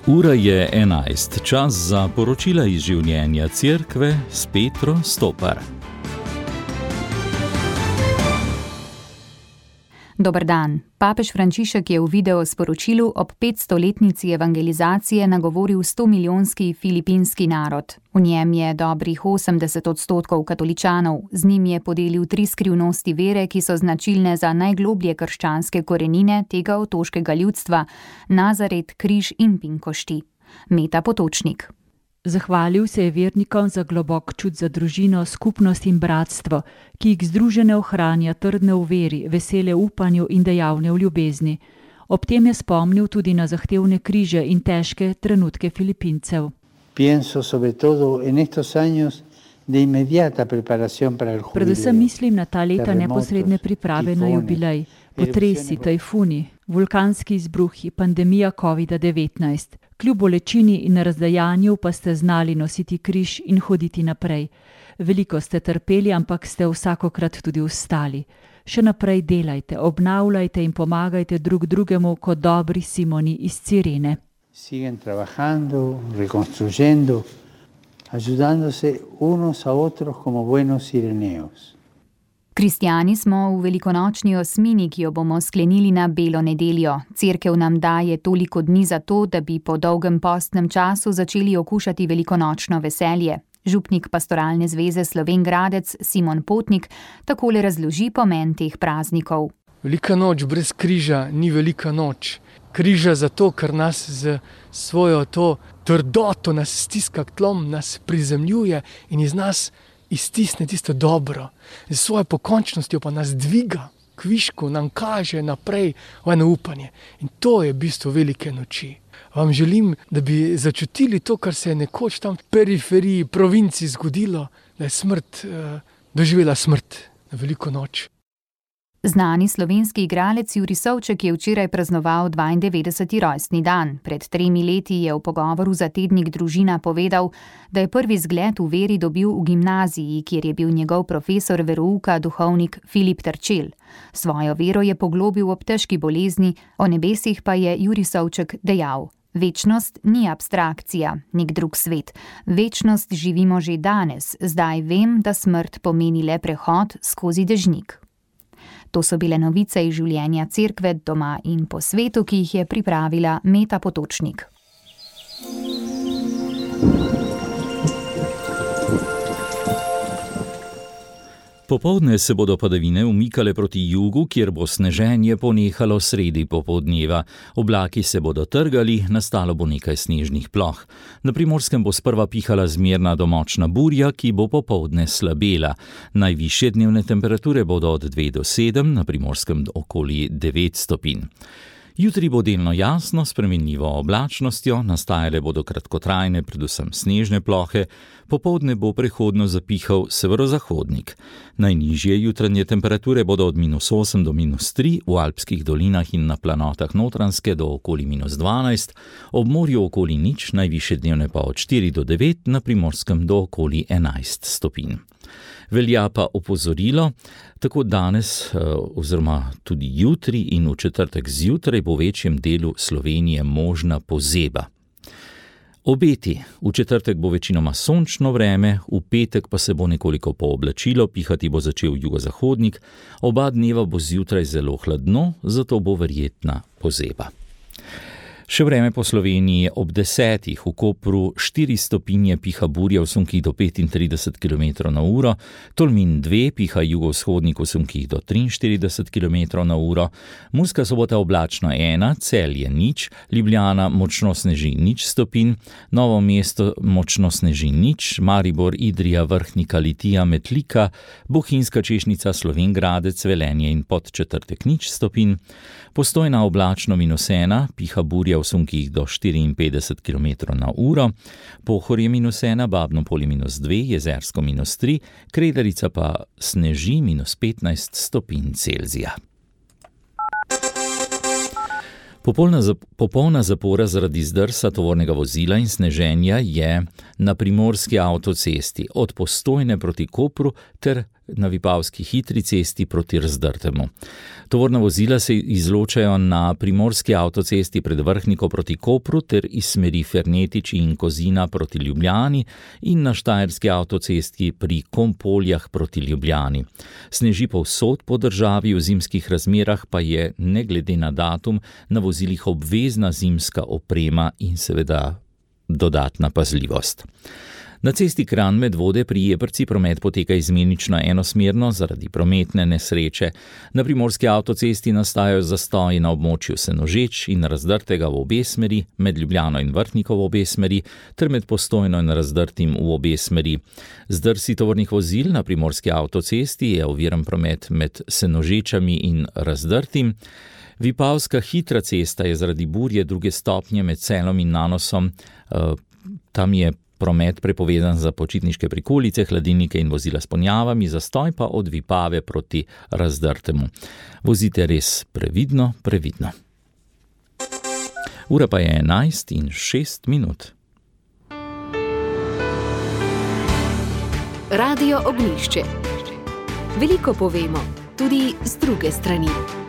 Ura je 11, čas za poročila iz življenja Cerkve s Petro Stopar. Dober dan. Papež Frančišek je v videosporočilu ob 500-letnici evangelizacije nagovoril 100-milijonski filipinski narod. V njem je dobrih 80% katoličanov. Z njim je podelil 3 skrivnosti vere, ki so značilne za najgloblje krščanske korenine tega otoškega ljudstva: Nazaret, križ in pinkošti. Meta Potočnik. Zahvalil se je vernikom za globok čut za družino, skupnost in bratstvo, ki jih združene ohranja trdne v veri, vesele v upanju in dejavne v ljubezni. Ob tem je spomnil tudi na zahtevne križe in težke trenutke Filipincev. Predvsem mislim na ta leta neposredne priprave na jubilej, potresi, tajfuni, vulkanski izbruhi, pandemija COVID-19. Kljub bolečini in razdajanju pa ste znali nositi križ in hoditi naprej. Veliko ste trpeli, ampak ste vsakokrat tudi vstali. Še naprej delajte, obnavljajte in pomagajte drug drugemu kot dobri Simoni iz Cirene. Siguen trabajando, reconstruyendo, ayudándose unos a otros como buenos sireneos. Kristjani smo v velikonočni osmini, ki jo bomo sklenili na Belo nedeljo. Cerkev nam daje toliko dni za to, da bi po dolgem postnem času začeli okušati velikonočno veselje. Župnik Pastoralne zveze Slovenj Gradec Simon Potnik takole razloži pomen teh praznikov. Velika noč brez križa ni velika noč. Križa zato, ker nas z svojo to trdoto nas stiska k tlom, nas prizemljuje in iz nas iztisne tisto dobro. Z svojo pokončnostjo pa nas dviga k višku, nam kaže naprej v eno upanje. In to je bistvo velike noči. Vam želim, da bi začutili to, kar se je nekoč tam v periferiji, provinci zgodilo, da je smrt, doživela smrt na veliko noč. Znani slovenski igralec Jurij Savček je včeraj praznoval 92. rojstni dan. Pred 3 leti je v pogovoru za tednik Družina povedal, da je prvi zgled v veri dobil v gimnaziji, kjer je bil njegov profesor verouka duhovnik Filip Terčelj. Svojo vero je poglobil ob težki bolezni, o nebesih pa je Jurij Savček dejal: Večnost ni abstrakcija, nek drug svet. Večnost živimo že danes, zdaj vem, da smrt pomeni le prehod skozi dežnik. To so bile novice iz življenja Cerkve doma in po svetu, ki jih je pripravila Meta Potočnik. Popoldne se bodo padavine umikale proti jugu, kjer bo sneženje ponehalo sredi popoldneva. Oblaki se bodo trgali, nastalo bo nekaj snežnih ploh. Na Primorskem bo sprva pihala zmerna do močna burja, ki bo popoldne slabela. Najvišje dnevne temperature bodo od 2 do 7, na Primorskem okoli 9 stopinj. Jutri bo delno jasno, s spremenljivo oblačnostjo, nastajale bodo kratkotrajne, predvsem snežne plohe, popoldne bo prehodno zapihal severozahodnik. Najnižje jutranje temperature bodo od -8 do -3, v alpskih dolinah in na planotah Notranjske do okoli -12, ob morju okoli 0, najvišje dnevne pa od 4 do 9, na Primorskem do okoli 11 stopinj. Velja pa opozorilo, tako danes oziroma tudi jutri in v četrtek zjutraj bo v večjem delu Slovenije možna pozeba. Obeti: v četrtek bo večinoma sončno vreme, v petek pa se bo nekoliko pooblačilo, pihati bo začel jugozahodnik, oba dneva bo zjutraj zelo hladno, zato bo verjetna pozeba. Še vreme po Sloveniji: ob 10. v Kopru 4 stopinje piha burja v sunkih do 35 km/h, Tolmin 2 piha jugovzhodnik v sunkih do 43 km/h, Murska Sobota oblačno 1, Celje 0, Ljubljana močno sneži 0 stopinj, Novo mesto močno sneži 0, Maribor, Idrija, Vrhnika, Litija, Metlika, Bohinjska Češnica, Slovenj Gradec, Velenje in Podčetrtek 0 stopinj, Postojna oblačno -1, piha burja v sunkih do 54 km/h, Pohorje -1, Babno Polje -2, Jezersko -3, Kredarica pa sneži -15 stopinj Celzija. Popolna zapora zaradi zdrsa tovornega vozila in sneženja je na primorski avtocesti od Postojne proti Kopru ter na Vipavski hitri cesti proti Razdrtemu. Tovorna vozila se izločajo na primorski avtocesti pred Vrhniko proti Kopru ter iz smeri Fernetiči in Kozina proti Ljubljani in na štajerski avtocesti pri Kompoljah proti Ljubljani. Sneži povsod po državi, v zimskih razmerah pa je, ne glede na datum, na vozilih obvezna zimska oprema in seveda dodatna pazljivost. Na cesti Kranj-Medvode pri Jeprci promet poteka izmenično enosmerno zaradi prometne nesreče. Na primorski avtocesti nastajajo zastoji na območju Senožeč in Razdrtega v obe smeri, med Ljubljano in Vrhniko v obe smeri, ter med Postojno in Razdrtim v obe smeri. Zdrsi tovornih vozil na primorski avtocesti je oviran promet med Senožečami in Razdrtim. Vipavska hitra cesta je zaradi burje 2. stopnje med Celom in Nanosom. Tam je promet prepovedan za počitniške prikolice, hladilnike in vozila s ponjavami, zastoj pa od Vipave proti Razdrtemu. Vozite res previdno. Ura pa je 11:06. Radio Ognjišče. Veliko povemo, tudi z druge strani.